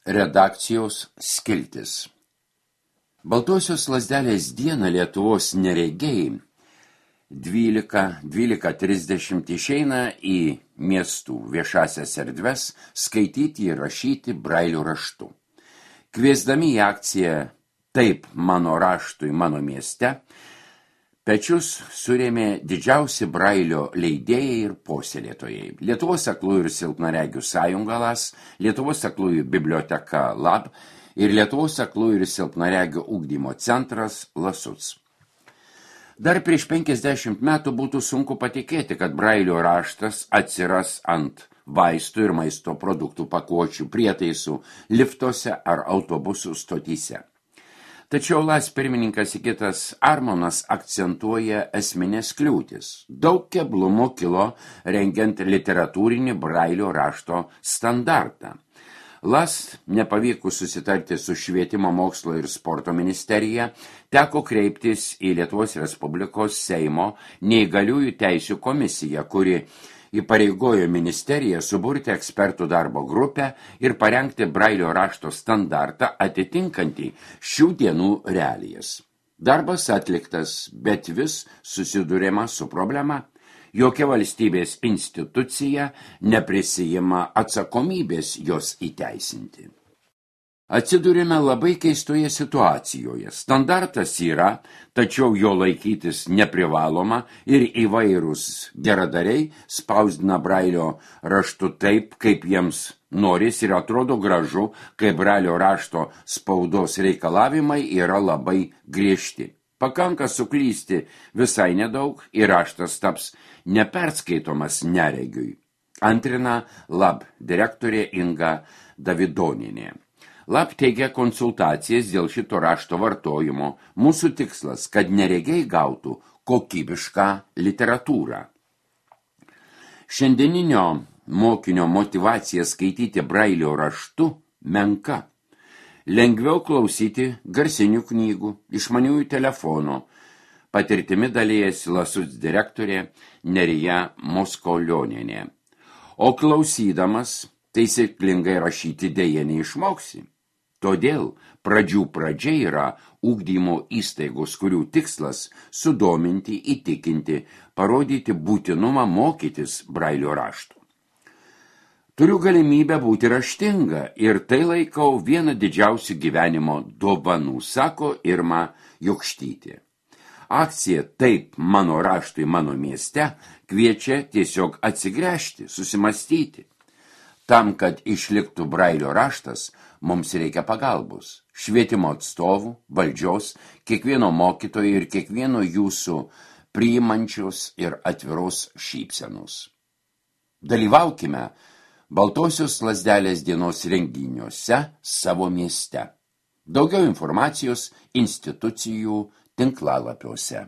Redakcijos skiltis. Baltosios lazdelės dieną Lietuvos neregiai 12:30 išeina į miestų viešasias erdves skaityti ir rašyti brailio raštu. Kviesdami į akciją Taip mano raštui mano mieste, pečius surėmė didžiausi brailio leidėjai ir puoselėtojai. Lietuvos aklųjų ir silpnaregių sąjunga LAS, Lietuvos aklųjų biblioteka LAB ir Lietuvos aklųjų ir silpnaregių ugdymo centras LASUC. Dar prieš 50 metų būtų sunku patikėti, kad brailio raštas atsiras ant vaistų ir maisto produktų pakuočių prietaisų liftuose ar autobusų stotyse. Tačiau LAS pirmininkas Sigitas Armonas akcentuoja esminės kliūtis. Daug keblumų kilo rengiant literatūrinį brailio rašto standartą. LAS nepavykus susitarti su Švietimo mokslo ir sporto ministerija, teko kreiptis į Lietuvos Respublikos Seimo neįgaliųjų teisių komisiją, kuri įpareigojo ministeriją suburti ekspertų darbo grupę ir parengti brailio rašto standartą atitinkantį šių dienų realijas. Darbas atliktas, bet vis susidūrėma su problema. Jokia valstybės institucija neprisijima atsakomybės jos įteisinti. Atsidūrėme labai keistoje situacijoje. Standartas yra, tačiau jo laikytis neprivaloma ir įvairūs geradariai spausdina brailio raštu taip, kaip jiems noris ir atrodo gražu, kai brailio rašto spaudos reikalavimai yra labai griežti. Pakanka suklysti visai nedaug ir raštas taps neperskaitomas neregiui. Antrina LAB direktorė Inga Davidonienė. LAB teigia konsultacijas dėl šito rašto vartojimo. Mūsų tikslas, kad neregiai gautų kokybišką literatūrą. Šiandieninio mokinio motyvacija skaityti brailio raštu menka. Lengviau klausyti garsinių knygų, išmaniųjų telefonų. Patirtimi dalijasi LASUC direktorė Nerija Moskolionienė. O klausydamas taisyklingai rašyti deja neišmoksi. Todėl pradžia yra ugdymo įstaigos, kurių tikslas sudominti, įtikinti, parodyti būtinumą mokytis brailio raštų. Turiu galimybę būti raštinga ir tai laikau vieną didžiausių gyvenimo dovanų, sako Irma Jokštytė. Akcija Taip mano raštui mano mieste kviečia tiesiog atsigręžti, susimastyti. Tam, kad išliktų brailio raštas, mums reikia pagalbos. Švietimo atstovų, valdžios, kiekvieno mokytojo ir kiekvieno jūsų priimančios ir atviros šypsenos. Dalyvaukime Baltosios lazdelės dienos renginiuose savo mieste. Daugiau informacijos institucijų tinklalapiuose.